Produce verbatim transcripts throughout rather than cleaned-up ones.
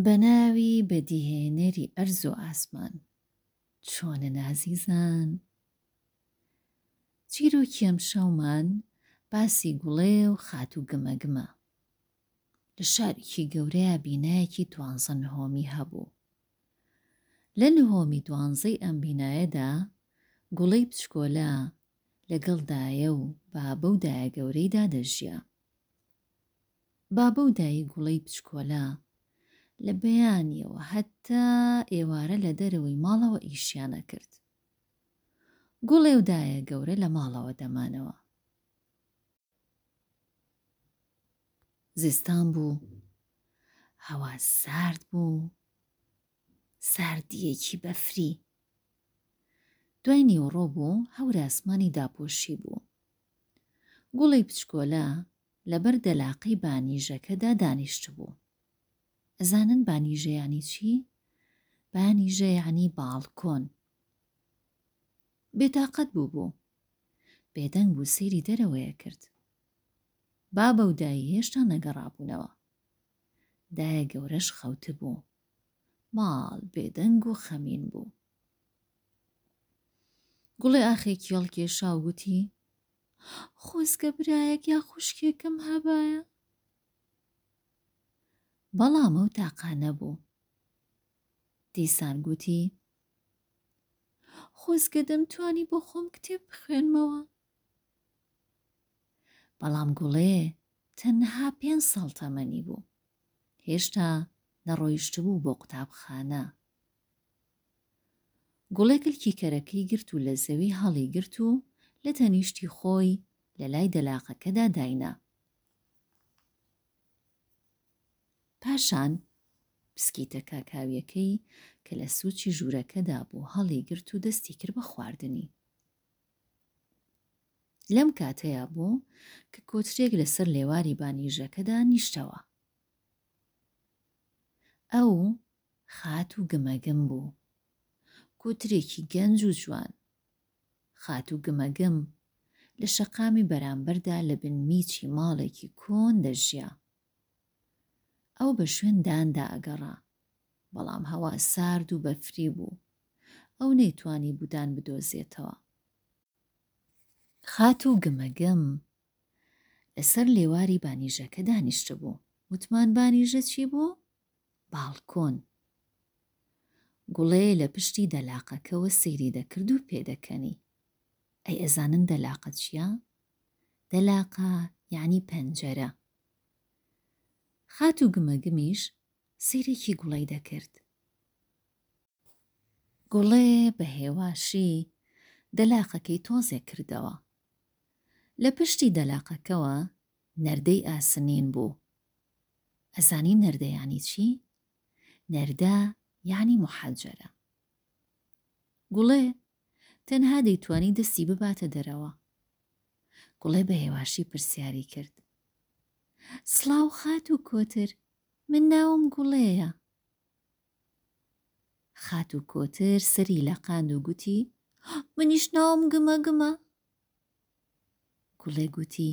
بە ناوی بەدیهێنەری ئەرز و ئاسمان. چۆنن ئازیزان؟ چیرۆکی ئەمشەومان باسی گوڵێ و خاتوو گمەگمە. لە شارێکی گەورەیا بینایەکی دوانزە نهۆمی هەبوو. لە نهۆمی دوانزەی ئەم بینایەدا گوڵەی بچکۆلە لەگەڵ دایە و بابە و دایە گەورەیدا دەژیا. بابە و دایەی گوڵەی بچکۆلە لە بەیانیەوە هەتا ئێوارە لە دەرەوەی ماڵەوە ئیشیان ئەکرد. گوڵێ و دایە گەورە لە ماڵەوە دەمانەوە. زستان بوو، هەوا سارد بوو، ساردییەکی بەفری. دوای نیوەڕۆ بوو، هەور ئاسمانی داپۆشی بوو. گوڵی بچکۆلە لەبەر دەلاقەی بانیژەکەدا دانیشتبوو. ئەزانن بانیژە یانی چی؟ بانیژە یانی باڵکۆن. بێتاقەت بووبوو. بێدەنگ بوو سەیری دەرەوەی ئەکرد. بابە و دایی هێشتا نەگەڕابوونەوە. دایە گەورەش خەوتبوو. ماڵ بێدەنگ و خەمین بوو. گوڵێ ئاخێکی هەڵکێشا و گوتی، خۆزگە برایەک یا خوشکێکم هەبایە. بەڵام ئەو تاقانە بوو. دیسان گوتی، خۆزگە دەمتوانی بۆ خۆم کتێب بخوێنمەوە. بەڵام گوڵێ تەنها پێنج ساڵ تەمەنی بوو. هێشتا نەڕۆیشتبوو بۆ قوتابخانە. گوڵێ کلکی کەرەکەی گرت و لە زەوی هەڵیگرت و لە تەنیشتی خۆی لە لای دەلاقەکەدا داینا. پاشان پسکیتە کاکاویەکەی کە لە سوچی ژوورەکەدا بوو هەڵیگرت و دەستی کرد بە خواردنی. لەم کاتەیا بوو کە کۆترێک لەسەر لێواری بانیژەکەدا نیشتەوە. ئەو خاتوو گمەگم بوو. کۆترێکی گەنج و جوان. خاتوو گمەگم لە شەقامی بەرامبەردا لە بن میچی ماڵێکی کۆن دەژیا. ئەو بە شوێن داندا ئەگەڕا. بەڵام هەوا سارد و بەفری بوو. ئەو نەیتوانی بوو دان بدۆزێتەوە. خاتوو گمەگم لەسەر لێواری بانیژەکە دانیشتبوو. وتمان بانیژە چی بوو؟ باڵکۆن. گوڵێ لە پشتی دەلاقەکەوە سەیری دەکرد و پێدەکەنی. ئەی ئەزانن دەلاقە چییە؟ دەلاقە یعنی پەنجەرە. خاتوو گمەگمیش سەیرێکی گوڵەی دەکرد. گوڵێ بە هێواشی دەلاقەکەی تۆزێک کردەوە. لە پشتی دەلاقەکەوە نەردەی ئاسنین بوو. ئەزانی نەردە یانی چی؟ نەردە یانی محەجەرە. گوڵێ تەنها دەیتوانی دەستی بباتە دەرەوە. گوڵێ بە هێواشی پرسیاری کرد. سڵاو خاتوو کۆتر، من ناوم گوڵێیە. خاتوو کۆتر سەری لەقاند و گوتی، منیش ناوم گمەگمە. گوڵێ گوتی،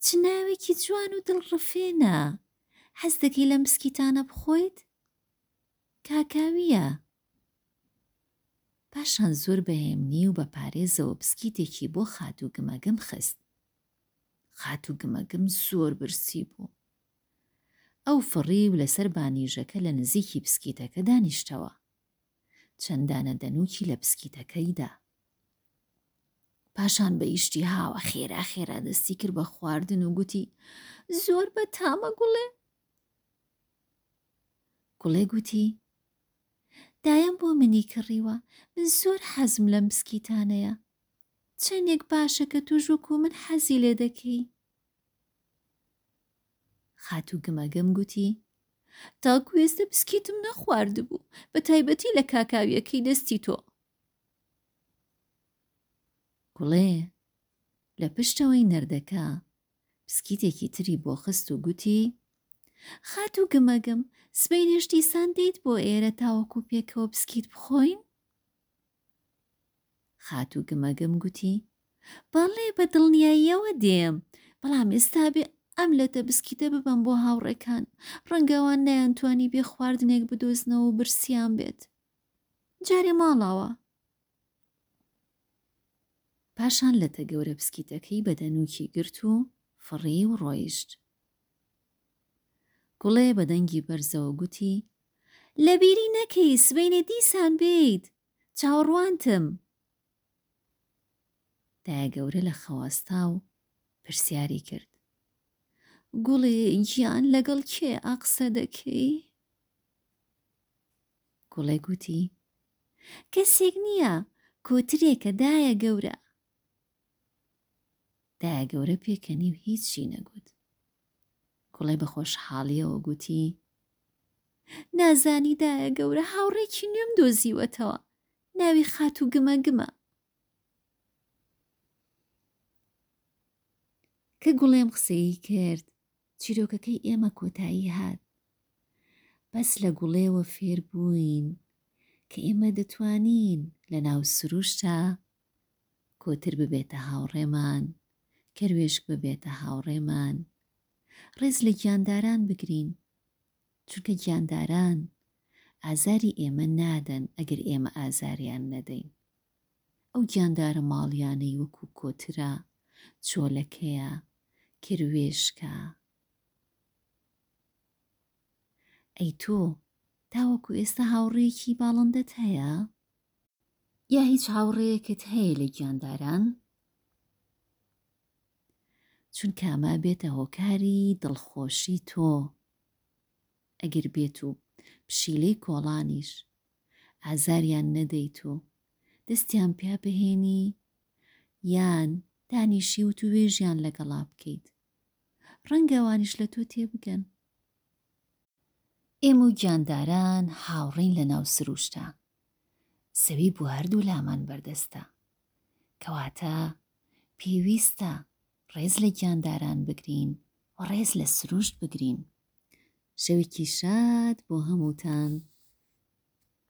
چ ناوێکی جوان و دڵڕفێنە. حەز دەکەی لەم بسکیتانە بخۆیت؟ کاکاوییە. پاشان زۆر بە هێمنی و بە پارێزەوە بسکیتێکی بۆ خاتوو گمەگم خست. خاتوو گمەگم زۆر برسی بوو. ئەو فڕی و لەسەر بانیژەکە لە نزیکی بسکیتەکە دانیشتەوە. چەند دانە دەنووکی لە بسکیتەکەی دا. پاشان بە ئیشتیهاوە خێرا خێرا دەستی کرد بە خواردن و گوتی زۆر بە تامە گوڵێ. گوڵێ گوتی دایم بۆ منی کڕیوە، من زۆر حەزم لەم بسکیتانەیە. چەندێک باشە کە تۆش وەکو من حەزی لێ دەکەی. خاتوو گمەگم گوتی تاکو ئێستا بسکیتم نەخواردبوو، بە تایبەتی لە کاکاویەکەی دەستی تۆ. گوڵێ لە پشتەوەی نەردەکە بسکیتێکی تری بۆ خست و گوتی خاتوو گمەگم سبەینێش دیسان دێیت بۆ ئێرە تاوەکو پێکەوە بسکیت بخۆین؟ خاتوو گمەگم گوتی بەڵێ بە دڵنیاییەوە دێم، بەڵام ئێستا بێ ئەم لەتە بسکیتە ببەم بۆ هاوڕێکان، ڕەنگە ئەوان نەیانتوانی بێ خواردنێک بدۆزنەوە و برسیان بێت. جارێ ماڵاوا. پاشان لەتە گەورە بسکیتەکەی بە دەنووکی گرت و فڕی و ڕۆیشت. گوڵێ بە دەنگی بەرزەوە گوتی، لەبیری نەکەی سبەینێ دیسان بێیت، چاوەڕوانتم. دایەگەورە لە خەو هەستا و پرسیاری کرد، گوڵێ گیان لەگەڵ کێ ئاقسە دەکەی؟ گوڵێ گوتی، کەسێک نییە، کۆترێکە دایە گەورە. دایە گەورە پێکەنی و هیچی نەگوت. گوڵێ بە خۆشحاڵیەوە گوتی، نازانی دایە گەورە هاوڕێکی نوێم دۆزیوەتەوە، ناوی خاتوو گمەگمە. کە گوڵێم قسەی کرد چیرۆکەکەی ئێمە کۆتایی هات. بەس لە گوڵێوە فێر بووین کە ئێمە دەتوانین لە ناو سروشتا کۆتر ببێتە هاوڕێمان، کەروێشک ببێتە هاوڕێمان، ڕێز لە گیانداران بگرین، چونکە گیانداران ئازاری ئێمە نادەن ئەگەر ئێمە ئازاریان نەدەین. ئەو گیاندارە ماڵیانەی وەکو کۆترە، چۆلەکەیە، کەروێشکە. ئەی تۆ تاوەکو ئێستا هاوڕێیەکی باڵندەت هەیە؟ یا هیچ هاوڕێیەکت هەیە لە گیانداران؟ چونکە ئەمە بێتە هۆکاری دڵخۆشی تۆ. ئەگەر بێت و پشیلەی کۆڵانیش ئازاریان نەدەیت و دەستیان پیا بهێنی یان دانیشی وتووێژیان لەگەڵا بکەیت، ڕەنگە ئەوانیش لە تۆ تێبگەن. ئێمە و گیانداران هاوڕێین لە ناو سروشتا. زەوی بۆ هەردوو لامان بەردەستە. کەواتە پێویستە ڕێز لە گیانداران بگرین و ڕێز لە سروشت بگرین. شەوێکی شاد بۆ هەمووتان.